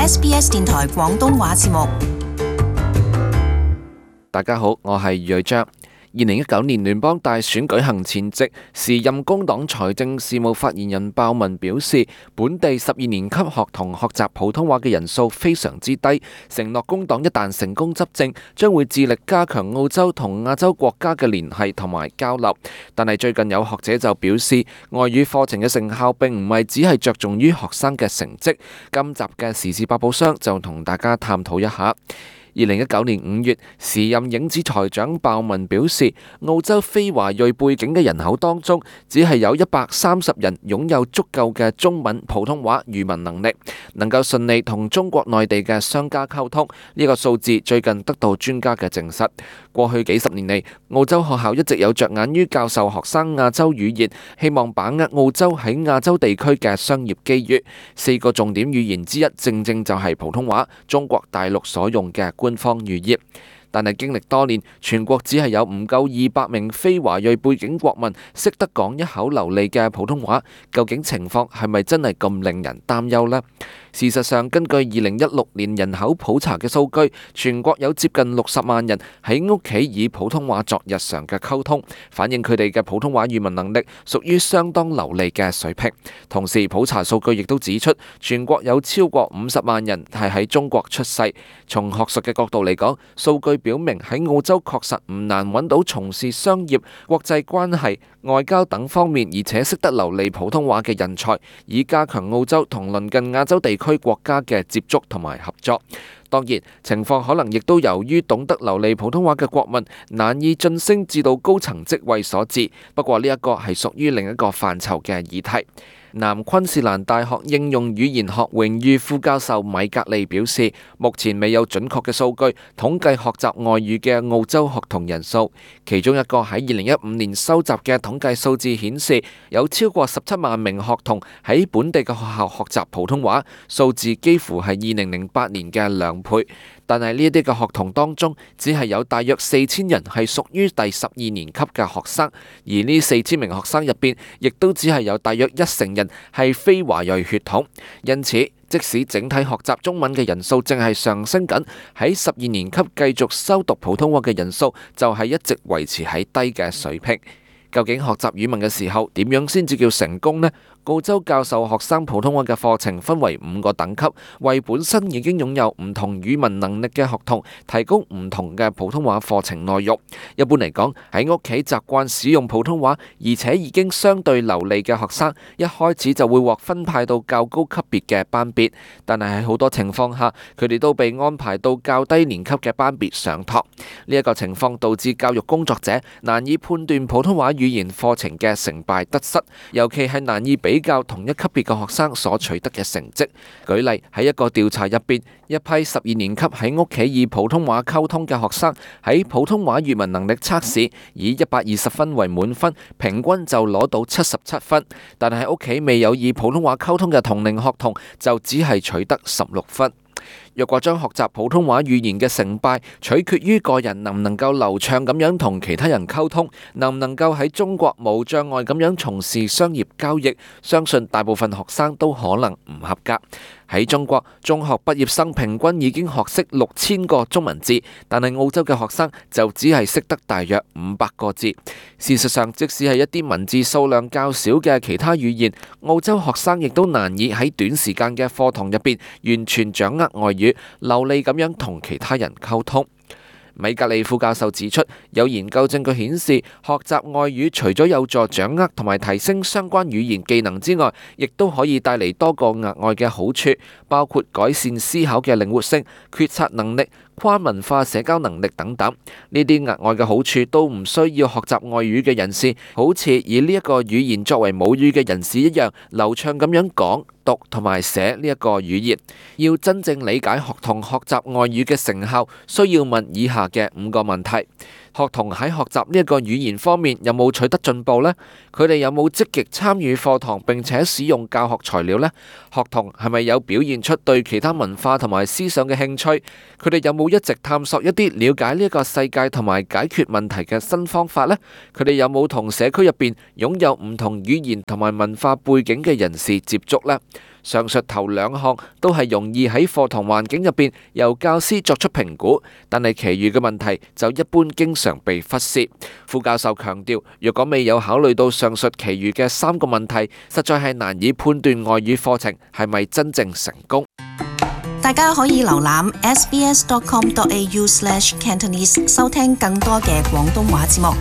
SBS 電台廣東話節目。大家好，我係余章。2019年聯邦大選舉行前夕，時任工黨財政事務發言人鮑文表示，本地12年級學童學習普通話嘅人數非常之低，承諾工黨一旦成功執政，將會致力加強澳洲同亞洲國家嘅聯繫同埋交流。但係最近有學者就表示，外語課程嘅成效並唔係只係着重於學生嘅成績。今集嘅時事百寶箱就同大家探討一下。2019年5月，時任影子財長鮑文表示，澳洲非華裔背景嘅人口當中，只係有130人擁有足夠嘅中文普通話語文能力，能夠順利同中國內地嘅商家溝通。呢個數字最近得到專家嘅證實。過去幾十年嚟，澳洲學校一直有着眼於教授學生亞洲語言，希望把握澳洲喺亞洲地區嘅商業機遇。4個重點語言之一，正正就係普通話，中國大陸所用嘅官方語言。但係經歷多年，全國只係有唔夠200名非華裔背景國民識得講一口流利嘅普通話，究竟情況係咪真係咁令人擔憂呢？事實上，根據2016年人口普查嘅數據，全國有接近60萬人喺屋企以普通話作日常嘅溝通，反映佢哋嘅普通話語文能力屬於相當流利嘅水平。同時，普查數據亦都指出，全國有超過50萬人係喺中國出世。從學術嘅角度嚟講，數據表明喺澳洲確實唔難揾到從事商業、國際關係、外交等方面，而且識得流利普通話嘅人才，以加強澳洲同鄰近亞洲地區國家嘅接觸同埋合作。當然，情況可能亦都由於懂得流利普通話嘅國民難以晉升至到高層職位所致。不過呢一個係屬於另一個範疇嘅議題。南昆士蘭大學應用語言學榮譽副教授米格利表示，目前未有準確嘅數據統計學習外語嘅澳洲學童人數。其中一個喺2015年收集嘅統計數字顯示，有超過17萬名學童喺本地嘅學校學習普通話，數字幾乎係2008年嘅2倍。但係呢一啲嘅學童當中，只係有大約4000人係屬於第12年級嘅學生，而呢4000名學生入邊，亦都只係有大約1成人係非華裔血統。因此，即使整體學習中文嘅人數正係上升緊，喺12年級繼續修讀普通話嘅人數就係一直維持喺低嘅水平。究竟學習語文嘅時候點樣先至叫成功呢？澳洲教授學生普通話嘅課程分為5個等級，為本身已經擁有唔同語文能力嘅學童提供唔同嘅普通話課程內容。一般嚟講，喺屋企習慣使用普通話，而且已經相對流利嘅學生，一開始就會獲分派到較高級別嘅班別。但係喺好多情況下，佢哋都被安排到較低年級嘅班別上堂。呢一個情況導致教育工作者難以判斷普通話語言課程嘅成敗得失，尤其係難以比較同一級別嘅學生所取得嘅成績。舉例喺一個調查入邊，一批12年級喺屋企以普通話溝通嘅學生喺普通話語文能力測試以120分為滿分，平均就攞到77分。但係喺屋企未有以普通話溝通嘅同齡學童就只係取得16分。若果將學習普通話語言嘅成敗取決於個人能唔能夠流暢咁樣同其他人溝通，能唔能夠喺中國無障礙咁樣從事商業交易，相信大部分學生都可能唔合格。喺中國，中學畢業生平均已經學識6000個中文字，但係澳洲嘅學生就只係識得大約500個字。事實上，即使係一啲文字數量較少嘅其他語言，澳洲學生亦都難以喺短時間嘅課堂入邊完全掌握外語，流利咁樣同其他人溝通。米格利副教授指出，有研究證據顯示，學習外語除咗有助掌握同埋提升相關語言技能之外，亦都可以帶嚟多個額外嘅好處，包括改善思考嘅靈活性、決策能力、跨文化社交能力等等。呢啲額外嘅好處都唔需要學習外語嘅人士，好似以呢一個語言作為母語嘅人士一樣，流暢咁樣講、讀同埋寫呢一個語言。要真正理解學童學習外語嘅成效，需要問以下嘅5個問題。學童喺學習呢一個語言方面有冇取得進步呢？佢哋有冇積極參與課堂並且使用教學材料呢？學童係咪有表現出對其他文化同埋思想嘅興趣？佢哋有冇一直探索一啲了解呢個世界同埋解決問題嘅新方法呢？佢哋有冇同社區入邊擁有唔同語言同埋文化背景嘅人士接觸呢？上述頭兩項都係容易喺課堂環境入邊由教師作出評估，但係其餘嘅問題就一般經常被忽視。副教授強調，若果未有考慮到上述其餘嘅3個問題，實在係難以判斷外語課程係咪真正成功。大家可以瀏覽 sbs.com.au/cantonese 收聽更多嘅廣東話節目。